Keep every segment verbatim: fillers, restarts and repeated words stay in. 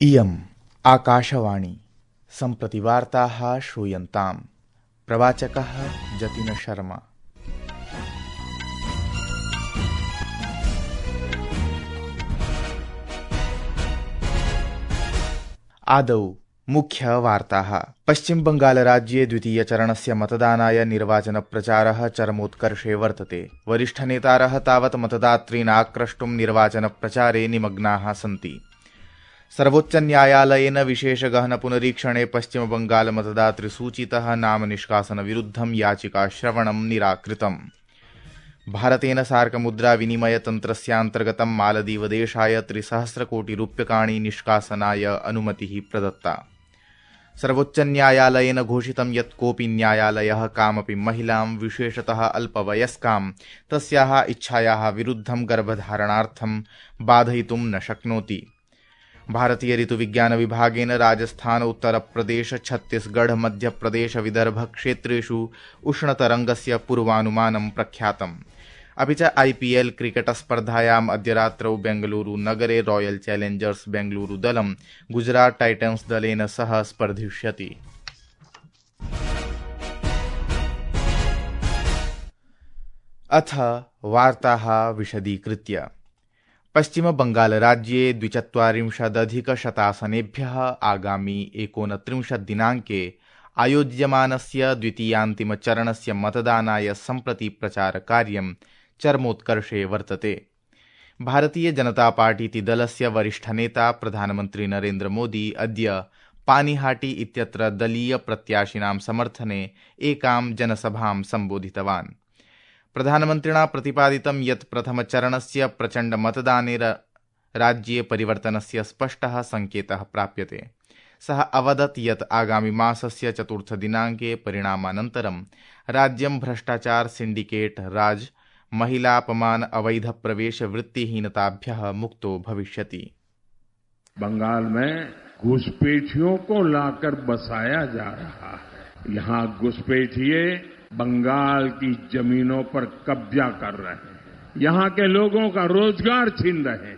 इयम् आकाशवाणी सम्प्रति वार्ताः श्रूयन्ताम्। प्रवाचकः जतिन शर्मा। आदौ मुख्यवार्ताः। पश्चिम बंगाल राज्ये द्वितीय चरणस्य मतदानाय निर्वाचनप्रचारः चरमोत्कर्षे वर्तते। वरिष्ठनेतारः तावत् मतदातॄन् आक्रष्टुं निर्वाचनप्रचारे निमग्नाः सन्ति। सर्वोच्चन्यायालयेन विशेष गहन पुनरीक्षणे पश्चिम बंगाल मतदातृसूचीतः नाम निष्कासन विरुद्धं याचिकाश्रवणं निराकृतम्। भारतेन सार्क मुद्रा विनिमय तन्त्रस्यान्तर्गतं मालदीवदेशाय त्रिसहस्रकोटिरूप्यकाणि निष्कासनाय अनुमतिः प्रदत्ता। सर्वोच्चन्यायालयेन घोषितं यत् कोऽपि न्यायालयः कामपि महिलां विशेषतः अल्पवयस्कां तस्याः इच्छायाः विरुद्धं गर्भधारणार्थं बाधयितुं न शक्नोति। भारतीय ऋतुविज्ञान विभागेन राजस्थान, उत्तर प्रदेश, छत्तीसगढ़, मध्य प्रदेश, विदर्भ क्षेत्रेषु उष्णतरङ्गस्य पूर्वानुमानं प्रख्यातम्। अपि च आईपीएल क्रिकेट स्पर्धायाम् अद्य रात्रौ बेंगलुरु नगरे रॉयल चैलेंजर्स बेंगलुरु दलं गुजरात टाइटन्स दलेन सह स्पर्धिष्यति। अथ वार्ताः विशदीकृत्य। पश्चिम बंगाल राज्ये द्विचत्वारिंशदधिकशतासनेभ्यः आगामी एकोनत्रिंशत् दिनाङ्के आयोज्यमानस्य द्वितीयान्तिमचरणस्य मतदानाय सम्प्रति प्रचारकार्यं चरमोत्कर्षे वर्तते। भारतीय जनता पार्टीति दलस्य वरिष्ठनेता प्रधानमन्त्री नरेन्द्र मोदी अद्य पानीहाटी इत्यत्र दलीय प्रत्याशिनां समर्थने एकां जनसभां सम्बोधितवान्। प्रधानमन्त्रिणा प्रतिपादितं यत् प्रथमचरणस्य प्रचण्ड मतदाने राज्ये परिवर्तनस्य स्पष्टः संकेतः प्राप्यते। सः अवदत् यत् आगामि मासस्य चतुर्थदिनाङ्के परिणामानन्तरं राज्यं भ्रष्टाचार, सिंडिकेट राज, महिलापमान, अवैध प्रवेश, वृत्तिहीनताभ्यः मुक्तो भविष्यति। बंगाल में घुसपैठियों को लाकर बसाया जा रहा है। यहाँ घुसपैठिए बंगाल की जमीनों पर कब्जा कर रहे हैं, यहाँ के लोगों का रोजगार छीन रहे हैं।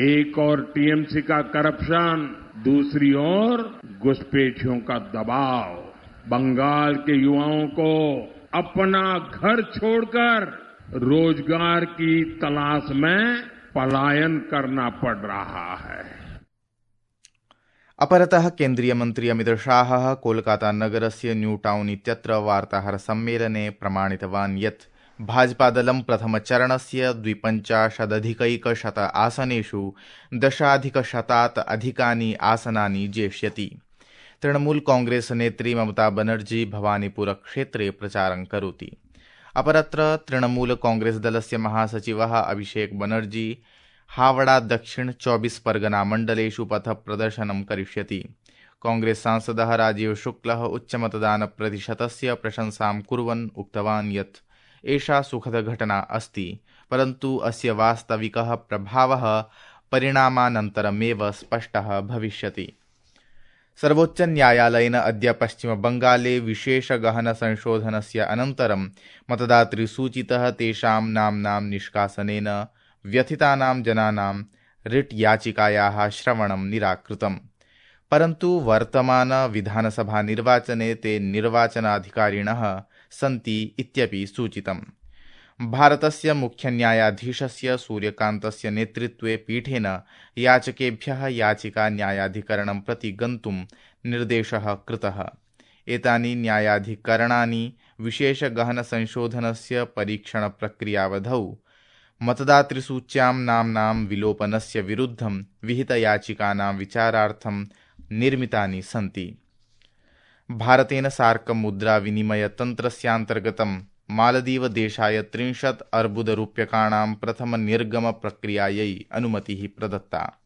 एक और टीएमसी का करप्शन, दूसरी ओर घुसपैठियों का दबाव। बंगाल के युवाओं को अपना घर छोड़कर रोजगार की तलाश में पलायन करना पड़ रहा है। अपरतः केन्द्रीय मन्त्री अमित शाहः कोलकाता नगरस्य न्यू टाउन इत्यत्र वार्ताहर सम्मेलने प्रमाणितवान् यत् भाजपादलं प्रथमचरणस्य द्विपञ्चाशदधिकैकशत आसनेषु दशाधिकशतात् अधिकानि आसनानि जेष्यति। तृणमूल कांग्रेस नेत्री ममता बनर्जी भवानीपुर क्षेत्रे प्रचारं करोति। अपरत्र तृणमूल कांग्रेस दलस्य महासचिवः अभिषेक बनर्जी हावड़ा दक्षिण चौबीस परगना मण्डलेषु पथ प्रदर्शनं करिष्यति। कांग्रेस सांसदः राजीव शुक्लः उच्चमतदान प्रतिशतस्य प्रशंसां कुर्वन् उक्तवान् यत् एषा सुखद घटना अस्ति, परन्तु अस्य वास्तविकः प्रभावः परिणामानन्तरमेव स्पष्टः भविष्यति। सर्वोच्च न्यायालयेन अद्य पश्चिम बंगाले विशेष गहन संशोधनस्य अनन्तरं मतदातृसूचीतः तेषां नाम्नां निष्कासनेन व्यथितानां जनानां रिट् याचिकायाः श्रवणं निराकृतम्। परन्तु वर्तमान विधानसभा निर्वाचने ते निर्वाचनाधिकारिणः सन्ति इत्यपि सूचितम्। भारतस्य मुख्यन्यायाधीशस्य सूर्यकान्तस्य नेतृत्वे पीठेन याचकेभ्यः याचिका न्यायाधिकरणं प्रति गन्तुं निर्देशः कृतः। एतानि न्यायाधिकरणानि विशेष गहन संशोधनस्य परीक्षण प्रक्रियावधौ मतदातृसूच्यां नाम्नां विलोपनस्य विरुद्धं विहितयाचिकानां विचारार्थं निर्मितानि सन्ति। भारतेन सार्क मुद्रा विनिमय तन्त्रस्यान्तर्गतं मालदीवदेशाय त्रिंशत् अर्बुदरूप्यकाणां प्रथम निर्गम प्रक्रियायै अनुमतिः प्रदत्ता।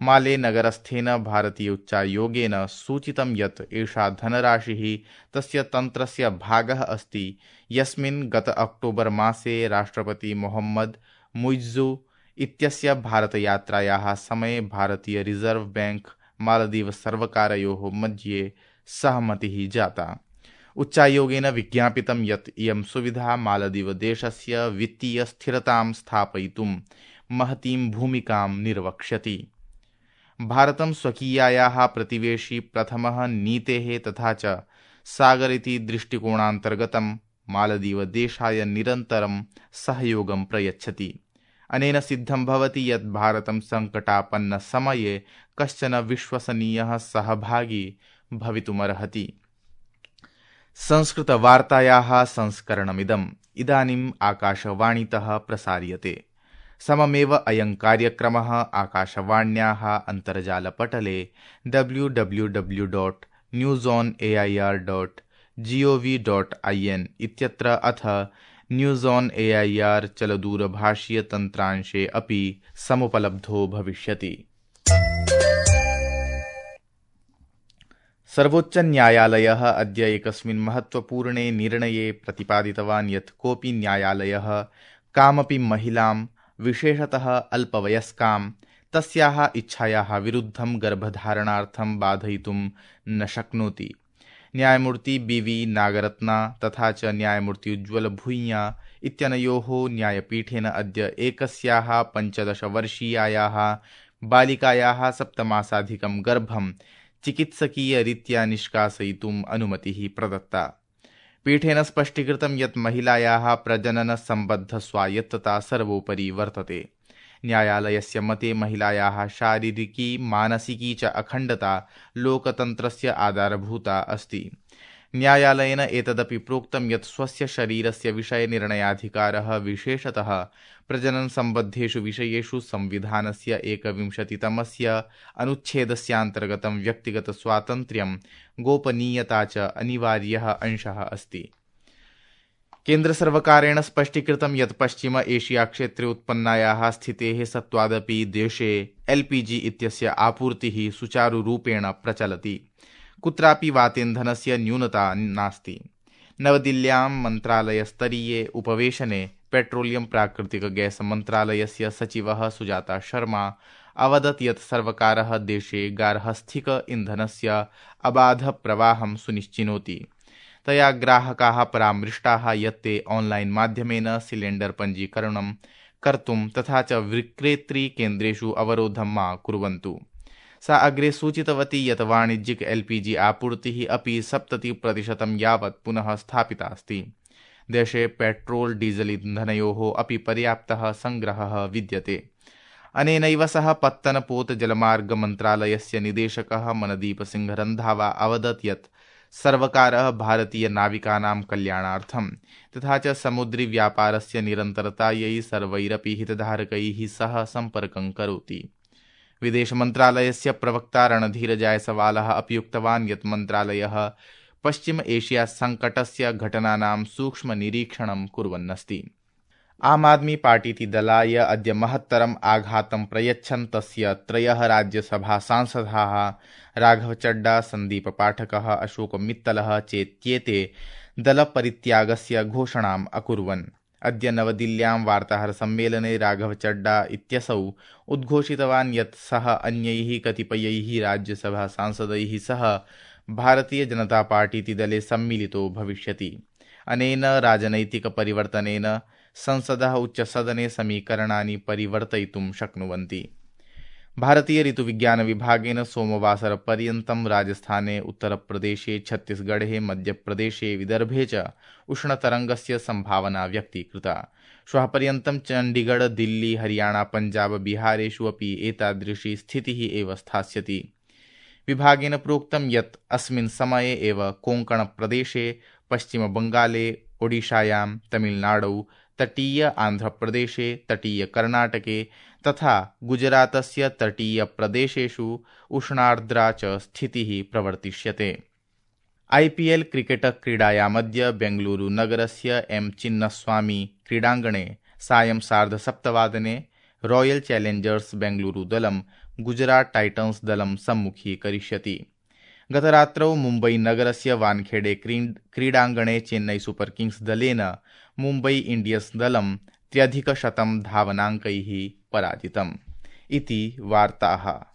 माले नगरस्थेन भारतीय उच्चायोगेन सूचितं यत् एषा धनराशिः तस्य तन्त्रस्य भागः अस्ति, यस्मिन् गत अक्टोबर मासे राष्ट्रपति मोहम्मद मुइज्जू इत्यस्य भारतयात्रायाः समये भारतीय रिजर्व बैंक मालदीव सर्वकारयोः मध्ये सहमतिः जाता। उच्चायोगेन विज्ञापितं यत् इयं सुविधा मालदीवदेशस्य वित्तीय स्थिरतां स्थापयितुं महतीं भूमिकां निर्वक्ष्यति। भारतं स्वकीयायाः प्रतिवेशी प्रथमः नीतेः तथा च सागर इति दृष्टिकोणान्तर्गतं मालदीवदेशाय निरन्तरं सहयोगं प्रयच्छति। अनेन सिद्धं भवति यत् भारतं सङ्कटापन्नसमये कश्चन विश्वसनीयः सहभागी भवितुमर्हति। संस्कृतवार्तायाः संस्करणमिदम् इदानीम् आकाशवाणीतः प्रसार्यते। सममेव अयं कार्यक्रमः आकाशवाण्याः अन्तर्जालपटले W W W dot news on A I R dot G O V dot I N इत्यत्र अथ news on A I R चलदूरभाषीयतन्त्रांशे अपि समुपलब्धो भविष्यति। सर्वोच्चन्यायालयः अद्य एकस्मिन् महत्त्वपूर्णे निर्णये प्रतिपादितवान् यत् कोऽपि न्यायालयः कामपि महिलां विशेषतः अल्पवयस्कां तस्याः इच्छायाः विरुद्धं गर्भधारणार्थं बाधयितुं न शक्नोति। न्यायमूर्ति बी वी नागरत्ना तथा च न्यायमूर्ति उज्ज्वल भूय्या इत्यनयोः न्यायपीठेन अद्य एकस्याः पञ्चदशवर्षीयायाः बालिकायाः सप्तमासाधिकं गर्भं चिकित्सकीयरीत्या निष्कासयितुम् अनुमतिः प्रदत्ता। पीठेन स्पष्टीकृतं यत् महिलायाः प्रजननसम्बद्धस्वायत्तता सर्वोपरि वर्तते। न्यायालयस्य मते महिलायाः शारीरिकी मानसिकी च अखण्डता लोकतन्त्रस्य आधारभूता अस्ति। न्यायालयेन एतदपि प्रोक्तं यत् स्वस्य शरीरस्य विषये निर्णयाधिकारः विशेषतः प्रजननसम्बद्धेषु विषयेषु संविधानस्य एकविंशतितमस्य अनुच्छेदस्यान्तर्गतं व्यक्तिगतस्वातन्त्र्यं गोपनीयता च अनिवार्यः अंशः अस्ति। केन्द्रसर्वकारेण स्पष्टीकृतं यत् पश्चिम एशिया क्षेत्रे उत्पन्नायाः स्थितेः सत्त्वादपि देशे एल् पी जी इत्यस्य आपूर्तिः सुचारुरूपेण प्रचलति। कुत्रापि वातेन्धनस्य न्यूनता नास्ति। नवदिल्ल्यां मन्त्रालयस्तरीये उपवेशने पेट्रोलियम प्राकृतिक गैस मन्त्रालयस्य सचिवः सुजाता शर्मा अवदत् यत् सर्वकारः देशे गार्हस्थ्यिक इन्धनस्य अबाधप्रवाहं सुनिश्चिनोति। तया ग्राहकाः परामृष्टाः यत् ते ऑनलाइन माध्यमेन सिलेण्डर पञ्जीकरणं कर्तुं तथा च विक्रेतृ केन्द्रेषु अवरोधं मा कुर्वन्तु। सा अग्रे सूचितवती यत् वाणिज्यिक एल् पी जी आपूर्तिः अपि सप्तति प्रतिशतं यावत् पुनः स्थापिता अस्ति। देशे पेट्रोल डीजल इन्धनयोः अपि पर्याप्तः संग्रहः विद्यते। अनेनैव सह पत्तनपोत जलमार्ग मन्त्रालयस्य निदेशकः मनदीप सिंह रन्धावा अवदत् यत् सर्वकारः भारतीय नाविकानां कल्याणार्थं तथा च समुद्री व्यापारस्य निरन्तरतायै सर्वैरपि हितधारकैः सह सम्पर्कं करोति। विदेशमन्त्रालयस्य प्रवक्ता रणधीर जायसवालः अपि उक्तवान् यत् मन्त्रालयः पश्चिम एशिया सङ्कटस्य घटनानां सूक्ष्म निरीक्षणं कुर्वन्नस्ति। आम आदमी पार्टीति दलाय अद्य महत्तरम् आघातं प्रयच्छन् तस्य त्रयः राज्यसभा सांसदाः राघव चड्डा, सन्दीप पाठकः, अशोक मित्तलः चेत्येते दलपरित्यागस्य घोषणाम् अकुर्वन्। अद्य नवदिल्ल्यां वार्ताहरसम्मेलने राघव चड्डा इत्यसौ उद्घोषितवान् यत् सः अन्यैः कतिपयैः राज्यसभा सांसदैः सह भारतीय जनता पार्टीति दले सम्मिलितो भविष्यति। अनेन राजनैतिकपरिवर्तनेन संसदः उच्चसदने समीकरणानि परिवर्तयितुं शक्नुवन्ति। भारतीय ऋतुविज्ञानविभागेन सोमवासरपर्यन्तं राजस्थाने, उत्तरप्रदेशे, छत्तीसगढे, मध्यप्रदेशे, विदर्भे च उष्णतरङ्गस्य सम्भावना व्यक्तीकृता। श्वः पर्यन्तं चण्डीगढ, दिल्ली, हरियाणा, पञ्जाब, बिहारेषु अपि एतादृशी स्थितिः एव स्थास्यति। विभागेन प्रोक्तं यत् अस्मिन् समये एव कोङ्कणप्रदेशे, पश्चिमबङ्गाले, ओडिशायां, तमिलनाडौ, तटीय आन्ध्रप्रदेशे, तटीय कर्णाटके तथा गुजरातस्य तटीय प्रदेशेषु उष्णार्द्रा च स्थितिः प्रवर्तिष्यते। आई पी एल क्रिकेट क्रीडायामद्य बेंगलुरु नगरस्य एम चिन्नस्वामी क्रीडाङ्गणे सायं सार्धसप्तवादने रॉयल चैलेंजर्स बेंगलुरु दलं गुजरात टाइटन्स दलं सम्मुखीकरिष्यति। गतरात्रौ मुम्बई नगरस्य वानखेडे क्रीडाङ्गणे चेन्नई सुपर किंग्स दलेन मुम्बई इंडियंस दलं त्र्यधिकशतं धावनाङ्कैः पराजितम्। इति वार्ताः।